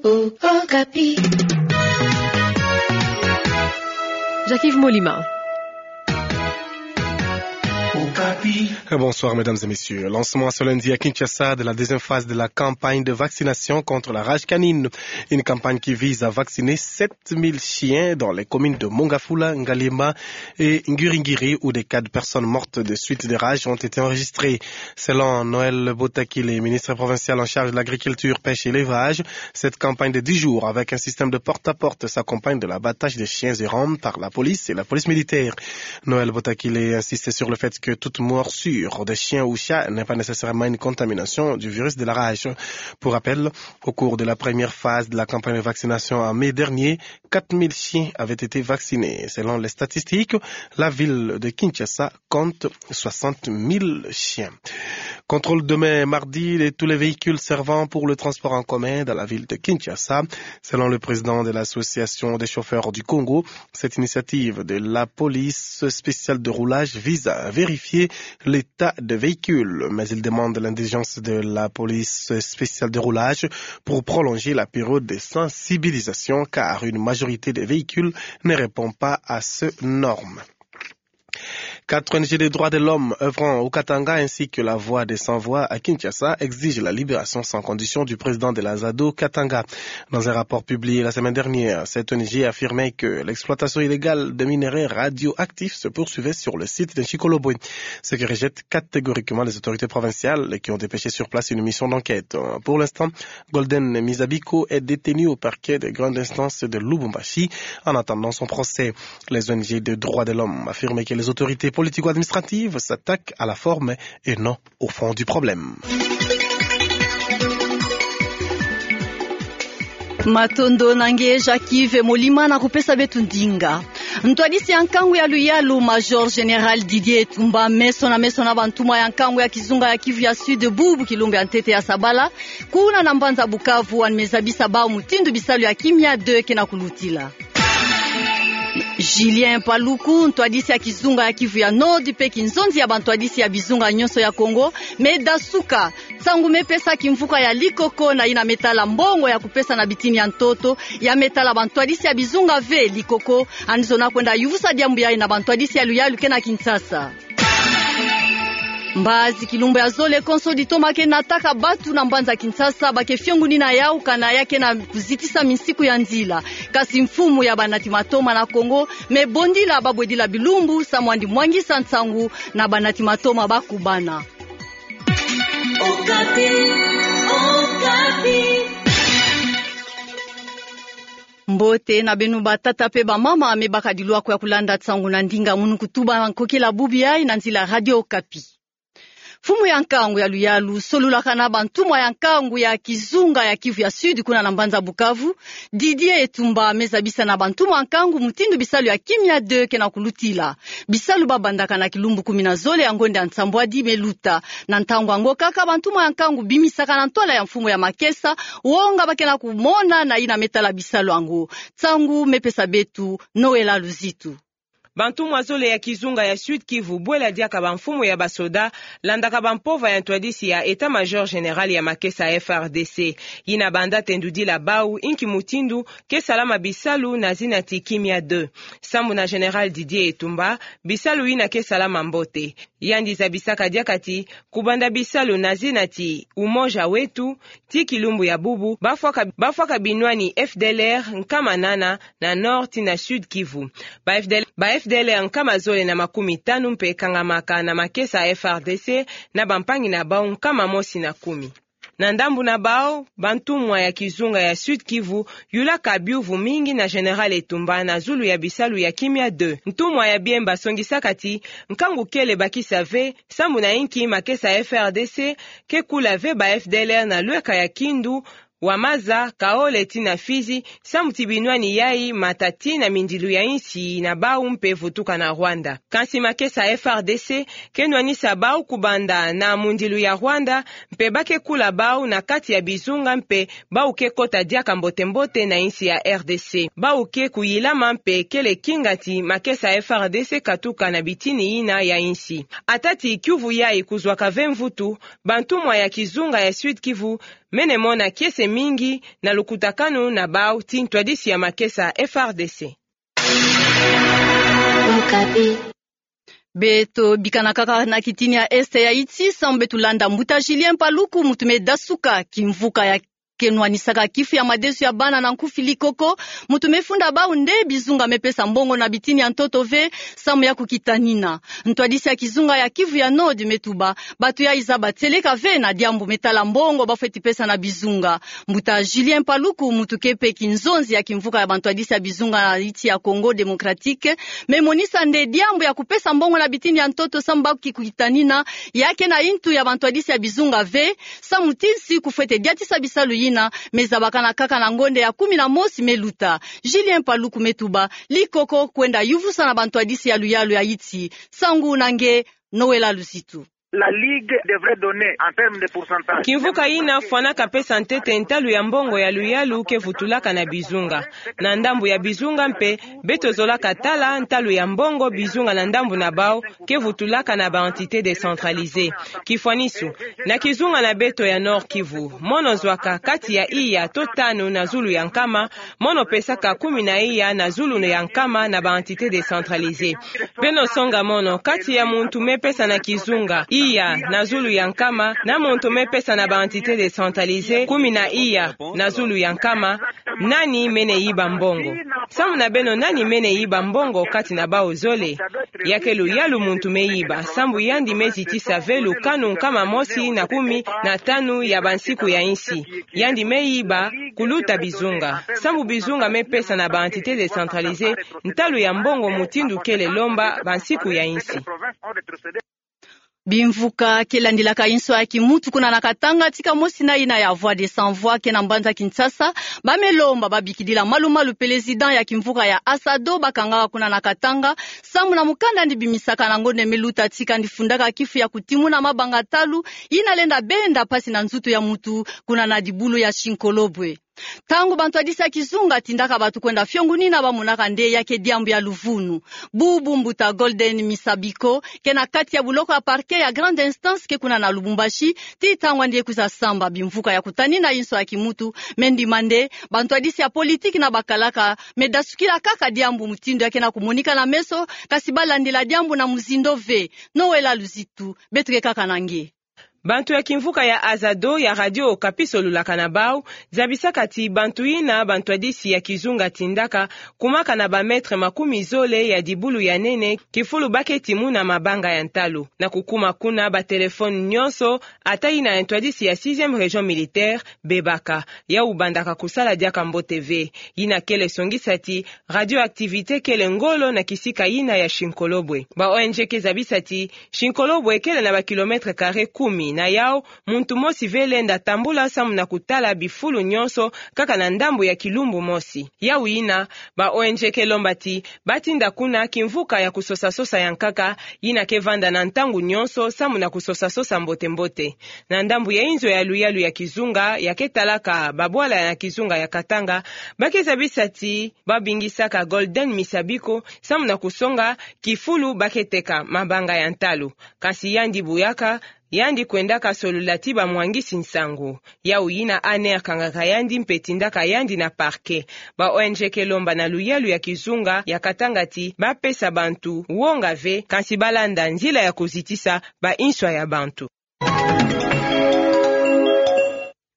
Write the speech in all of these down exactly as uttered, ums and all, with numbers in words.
Okapi. Jacques-Yves Molima. Okapi. Bonsoir, mesdames et messieurs. Lancement ce lundi à Kinshasa de la deuxième phase de la campagne de vaccination contre la rage canine. Une campagne qui vise à vacciner sept mille chiens dans les communes de Mongafula, Ngaliema et Ngiri-Ngiri, où des cas de personnes mortes de suite de rage ont été enregistrés. Selon Noël Botakile, ministre provincial en charge de l'agriculture, pêche et élevage, cette campagne de dix jours avec un système de porte-à-porte s'accompagne de l'abattage des chiens errants par la police et la police militaire. Noël Botakile insiste sur le fait que toute morsure de chien ou chat n'est pas nécessairement une contamination du virus de la rage. Pour rappel, au cours de la première phase de la campagne de vaccination en mai dernier, quatre mille chiens avaient été vaccinés. Selon les statistiques, la ville de Kinshasa compte soixante mille chiens. Contrôle demain mardi de tous les véhicules servant pour le transport en commun dans la ville de Kinshasa. Selon le président de l'association des chauffeurs du Congo, cette initiative de la police spéciale de roulage vise à vérifier l'état de véhicule, mais il demande l'indulgence de la police spéciale de roulage pour prolonger la période de sensibilisation, car une majorité des véhicules ne répond pas à ces normes. Quatre O N G des droits de l'homme œuvrant au Katanga ainsi que la Voix des Sans Voix à Kinshasa exigent la libération sans condition du président de la ZADO Katanga. Dans un rapport publié la semaine dernière, cette O N G affirmait que l'exploitation illégale de minerais radioactifs se poursuivait sur le site de Nshikoloboye, ce que rejettent catégoriquement les autorités provinciales qui ont dépêché sur place une mission d'enquête. Pour l'instant, Golden Mizabiko est détenu au parquet de grande instance de Lubumbashi en attendant son procès. Les O N G de droits de l'homme affirment que les autorités politico-administratives s'attaquent à la forme et non au fond du problème. Matondo na nge Jacques-Yves Molima na kupesa beto ndinga. Ntwadisi ya nkangu ya luyalu, Major Général Didier Etumba, meso na meso na bantumwa ya nkangu ya kizunga ya Kivu ya Sud bubu kilumbu ya ntete ya sabala, kuna na mbanza Bukavu, wani me zabisa bau mutindu bisalu ya kimia deux ke na kulutila. Julien Paluku, ntwadisi ya kizunga ya Kivu ya Nord, mpe kinzonzi ya bantwadisi ya bizunga nyonso ya Kongo, me dasuka. Nsangu me pesa kimvuka ya likoko na yina me tala mbongo ya kupesa na bitini ya ntoto, ya me tala bantwadisi ya bizunga ve likoko, yandi zona kwenda yuvusa diambu yayi na bantwadisi ya luyalu ke na Kinshasa. Mbazi kilumbu ya zole konso ditoma ke nataka batu na mbanza Kinshasa, ba ke fiongunina yau kana ya ke na kuzitisa minsiku ya nzila. Kasi mfumu ya banati matoma na Kongo me bondila babwedila bilumbu, samu yandi mwangisa nsangu na banati matoma bakubana. Okapi, Okapi. Mbote na beno batata mpe bamama me bakadi lwako ya kulanda nsangu na ndinga munu kutuba na nkokila bubu yayi na nzila Radio Okapi. Mfumu ya nkangu ya luyalu solulaka na bantumwa ya nkangu ya kizunga ya Kivu ya Sud kuna na mbanza Bukavu, Didier Etumba, me zabisa na bantumwa ya nkangu mutindu bisalu ya kimia deux ke na kulutila. Bisalu babandaka na kilumbu kumi na zole ya ngonda ya nsambwadi me luta. Na ntangu yango kaka, bantumwa ya nkangu bimisaka na ntwala ya mfumu ya makesa wonga ba ke na kumona na yina me tala bisalu yango. Nsangu me pesa beto Noël Luzitu. Bantumwa zole ya kizunga ya Sud-Kivu bwela diaka bamfumu ya basoda, landaka bampova ya ntwadisi ya État-Major Général ya makesa F R D C. Yina banda tendudila bau inki mutindu ke salama bisalu na zina ti kimia deux. Sambu na Général Didier Etumba, bisalu yina ke salama mbote. Yandi zabisaka diaka ti kubanda bisalu na zina ti Umoja Wetu, ti kilumbu ya bubu, bafwaka, bafwaka binwani F D L R nkama nana na Nord ti na Sud-Kivu. Ba F D L R, ba F D L R nkama zole na makumi tanu mpe kangamaka na makesa F R D C na bampangi na bau nkama mosi na kumi. Na ndambu na bau, bantumwa ya kizunga ya Sud-Kivu yulaka biuvu mingi na Général Etumba na zulu ya bisalu ya kimia deux. Ntumwa ya biemba songisaka ti nkangu kele bakisa ve, sambu na inki makesa F R D C ke kula ve ba F D L R na lweka ya Kindu, Wamaza, Kaole ti na Fizi, sambu ti binwani yayi mata ti na mindilu ya insi na bau mpe vutuka na Rwanda. Kansi makesa F R D C ke nwanisa bau kubanda na mundilu ya Rwanda, mpe ba ke kula bau na kati ya bizunga mpe bau ke kota diaka mbote-mbote na insi ya R D C. Bau ke kuyilama mpe kele kinga ti makesa F R D C katuka na bitini yina ya insi. Ata ti kiuvu yayi kuzwaka ve mvutu, bantumwa ya kizunga ya Sud-Kivu mene mona kiese mingi na lukutakanu na bau ti ntwadisi ya makesa F R D C. Beto bikana kaka na kitini ya Est ya Haïti, samu beto landa mbuta Julien Paluku, muntu me dasuka kimvuka ya kenwanisaka kifu ya madesu ya bana na nkufi Likoko, muntu me funda bau nde bizunga me pesa mbongo na bitini ya ntoto ve, samu ya kukitanina. Ntwadisi ya kizunga ya Kivu ya Nord me tuba, bato yayi zaba tieleka ve na diambu me tala mbongo ba fweti pesa na bizunga. Mbuta Julien Paluku, muntu ke mpe kinzonzi ya kimvuka ya bantwadisi ya bizunga na insi ya Congo Démocratique, me monisa nde diambu ya kupesa mbongo na bitini ya ntoto samu ba kukitanina, ya ke na intu ya bantwadisi ya bizunga ve, samu ti nsi kufwete diatisa bisalu yina me zabakana kaka na ngonde ya kumi na mosi me luta. Julien Paluku me tuba, Likoko kwenda yuvusa na bantwadisi ya luyalu ya Haïti. Nsangu na nge, Noëlla Luzitu. La Ligue devrait donner en termes de pourcentage. Kimvuka yina fwanaka pesa ntete ntalu ya mbongo ya luyalu ke vutulaka na bizunga. Na ndambu ya bizunga mpe, beto zolaka tala ntalu ya mbongo bizunga na ndambu na bau ke vutulaka na ba entités décentralisées. Kifwanisu, na kizunga na beto ya Nord-Kivu, mono zwaka kati ya iya to tanu na zulu ya nkama, mono pesaka kumi na iya na zulu ya nkama na ba entités décentralisées. Beno songa mono, kati ya muntu me pesa na kizunga iya na zulu ya nkama, na muntu me pesa na ba entités décentralisées kumi na iya na zulu ya nkama, nani mene yiba mbongo? Samu na beno, nani mene yiba mbongo kati na bau zole? Ya ke luyalu muntu me yiba, sambu yandi me zitisa ve lukanu nkama mosi na kumi na tanu ya bansiku ya insi. Yandi me yiba kuluta bizunga. Sambu bizunga me pesa na ba entités décentralisées, ntalu ya mbongo mutindu kele lomba bansiku ya insi. Bimvuka ke landilaka inso ya kimuntu kuna na Katanga, tika mosi na yina ya Voix des Sans Voix ke na mbanza Kinshasa, ba me lomba ba bikidila malu-malu président ya kimvuka ya Azado ba kangaka kuna na Katanga, samu na mukanda yandi bimisaka na ngonde me luta, tika yandi fundaka kifu ya kutimuna mabanga ntalu yina lenda benda mpasi na nzutu ya muntu kuna na dibulu ya Shinkolobwe. Ntangu bantwadisi ya kizunga tindaka bato kwenda fiongunina, ba monaka nde ya ke diambu ya luvunu. Bubu mbuta Golden Misabiko ke na kati ya buloko ya parquet ya grande instance ke kuna na Lubumbashi, tii ntangu yandi ye kwiza samba bimvuka ya kutanina inso ya kimuntu, me ndima nde bantwadisi ya politiki na bakalaka me dasukila kaka diambu mutindu ya ke na kumonika na meso, kasi ba landila diambu na muzindo ve. Noëlla Luzitu, beto ke kaka na nge. Bantu ya kimvuka ya Azado ya Radio Okapi solulaka na bau, zabisaka ti bantu yina bantwadisi ya kizunga tindaka kumaka na ba mètre makumi zole ya dibulu ya nene, kifulu ba ke timuna mabanga ya ntalu. Na kukuma kuna, ba téléphone nyonso, ata yina ya ntwadisi ya sixième région militaire, bebaka. Yau bandaka kusala diaka mbote ve. Yina kele songisa ti radioactivité kele ngolo na kisika yina ya Shinkolobwe. Ba O N G ke zabisa ti Shinkolobwe kele na ba kilomètre carré kumi, na yau muntu mosi ve lenda tambula samu na kutala bifulu nyonso kaka na ndambu ya kilumbu mosi. Yau yina, ba O N G ke lomba ti ba tinda kuna kimvuka ya kusosa-sosa ya nkaka, yina ke vanda na ntangu nyonso samu na kusosa-sosa mbote-mbote. Na ndambu ya inzo ya luyalu ya kizunga ya ke talaka babwala na kizunga ya Katanga, ba ke zabisa ti ba bingisaka Golden Misabiko samu na kusonga kifulu ba ke teka mabanga ya ntalu. Kasi yandi buyaka, yandi kwendaka solula ti bamwangisi nsangu. Yau yina A N R kangaka yandi mpe tindaka yandi na parquet. Ba O N G ke lomba na luyalu ya kizunga ya Katanga ti ba pesa bantu wonga ve, kasi ba landa nzila ya kuzitisa ba inswa ya bantu.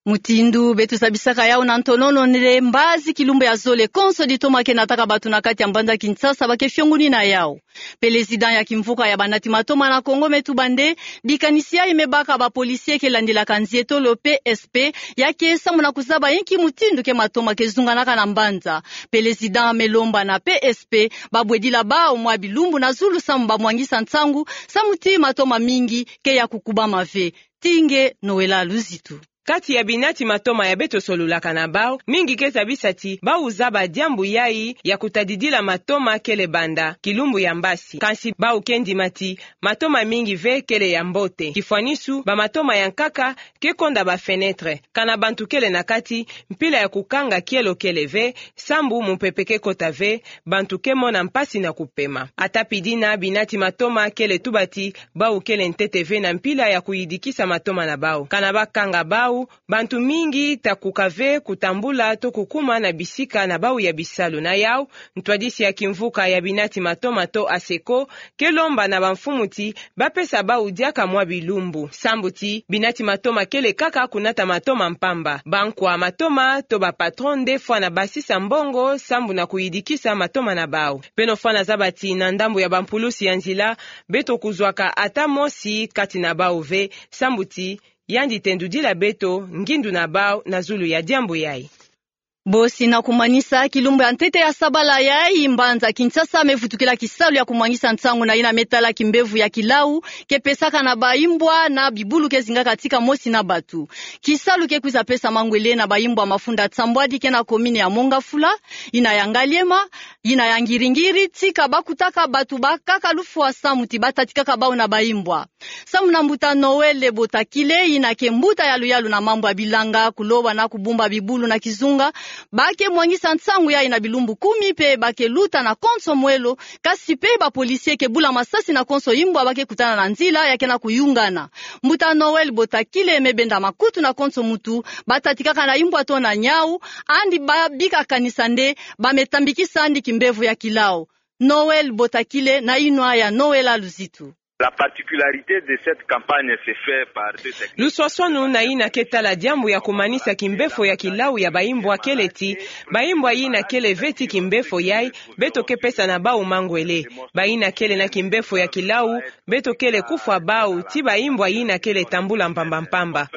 Mutindu beto zabisaka yau na ntonono, nde mbazi kilumbu ya zole konso ditoma ke nataka bato na kati ya mbanza Kinshasa ba ke fiongunina yau. Président ya kimvuka ya banati matoma na Congo me tuba nde bikanisi yayi me baka ba policiers ke landilaka nzietolo P S P, ya ke samu na kuzaba inki mutindu ke matoma ke zunganaka na mbanza. Président me lomba na P S P ba bwedila bau mwa bilumbu na zulu samu ba mwangisa nsangu, samu ti matoma mingi ke ya kukubama ve. Tii nge Noëlla Luzitu. Kati ya binati matoma ya beto solulaka na bau, mingi ke zabisa ti bau zaba diambu yayi ya kutadidila matoma kele banda kilumbu ya mbasi. Kasi bau ke ndima ti matoma mingi ve kele ya mbote. Kifwanisu, ba matoma ya nkaka ke konda ba fenêtre. Kana bantu kele na kati, mpila ya kukanga kielo kele ve, sambu mupepe ke kota ve, bantu ke mona mpasi na kupema. Ata pi dina, binati matoma kele tuba ti bau kele ntete ve na mpila ya kuyidikisa matoma na bau. Kana ba kanga bau, yau, bantu mingi ta kuka ve kutambula to kukuma na bisika na bau ya bisalu. Na yau, ntwadisi ya kimvuka ya binati matoma to ASECO, ke lomba na bamfumu ti bapesa bau diaka mwa bilumbu. Sambu ti, binati matoma kele kaka kunata matoma mpamba. Bankwa matoma to ba patron nde fwana basisa mbongo, sambu na kuyidikisa matoma na bau. Beno fwana zaba ti na ndambu ya bampulusi ya nzila, beto kuzwaka ata mosi kati na bau ve, sambu ti, yandi tendudila beto ngindu na bau na zulu ya diambu yai. Bosi na kumanisa, kilumbu ya ntete ya sabala yai, mbanza Kinshasa mevutukila kisalu ya kumwangisa nsangu na yina metala kimbevo ya kilau ke pesaka na baimbwa na bibulu ke zingaka tika mosi na batu. Kisalu ke kwiza pesa mangwele na baimbwa mafunda nsambwadi ke na commune ya Mont-Ngafula, yina ya Ngaliema, yina ya Ngiri-Ngiri, tika bakutaka batu bakaka lufwa samu ti batatikaka bau na baimbwa. Samu na mbuta Noël Botakile, yina ke mbuta yaluyalu na mambu ya bilanga, kuloba na kubumba bibulu na kizunga, ba ke mwangisa nsangu yai na bilumbu kumi mpe ba ke luta na konso mwelo, kasi mpe ba policiers ke bula masasi na konso imbwa ba ke kutana na nzila ya ke na kuyungana. Mbuta Noël Botakile me benda makutu na konso muntu batatikaka na imbwa to na nyau, andi ba bika kanisa nde ba me tambikisa andi kimbevo ya kilau. Noël Botakile na inwa ya Noël Luzitu. La particularité de cette campagne se fait par deux techniques. Luswaswanu na yina ke tala diambu ya kumanisa kimbefo ya kilau ya baimbwa kele ti, baimbwa yina kele ve ti kimbefo yai, beto ke pesa na bau mangwele. Bayina kele na kimbefo ya kilau, beto kele kufwa bau ti baimbwa yina kele tambula mpamba mpamba.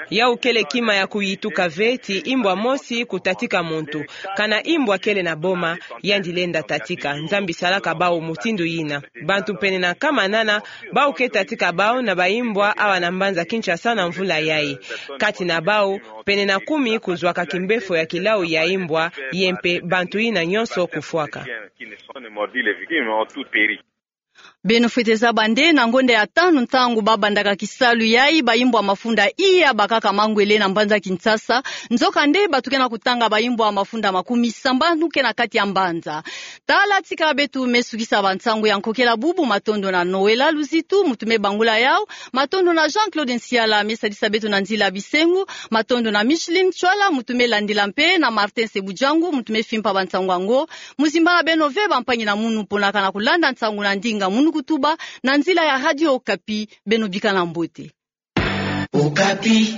Yau kele kima ya kuyituka ve ti imbwa mosi kutatika muntu. Kana imbwa kele na boma, yandi lenda tatika. Nzambi salaka bau mutindu yina. Bantu pene na nkama nana bau ke tatika bau na baimbwa awa na mbanza Kinshasa na mvula yai. Kati na bau, pene na kumi kuzwaka kimbefo ya kilau ya imbwa, ye mpe bantu yina nyonso kufwaka. Beno fwete zaba nde na ngonda ya tanu ntangu babandaka kisalu yai, baimbwa mafunda iya bakaka mangwele na mbanza Kinshasa. Nzoka nde bato ke na kutanga baimbwa mafunda makumi sambanu ke na kati ya mbanza. Tala tika beto me sukisa bansangu ya nkokela bubu. Matondo na Noël Luzitu, muntu me bangula yau. Matondo na Jean-Claude Nsiala, me sadisa beto na nzila bisengo. Matondo na Micheline Tswala, muntu me landila mpe, na Martin Sebujangu, muntu me fimpa bansangu yango. Muzimbana beno ve bampangi na munu mpo na kana kulanda nsangu na ndinga munu kutuba, na nzila ya Radio Okapi. Beno bikana mbote. Okapi.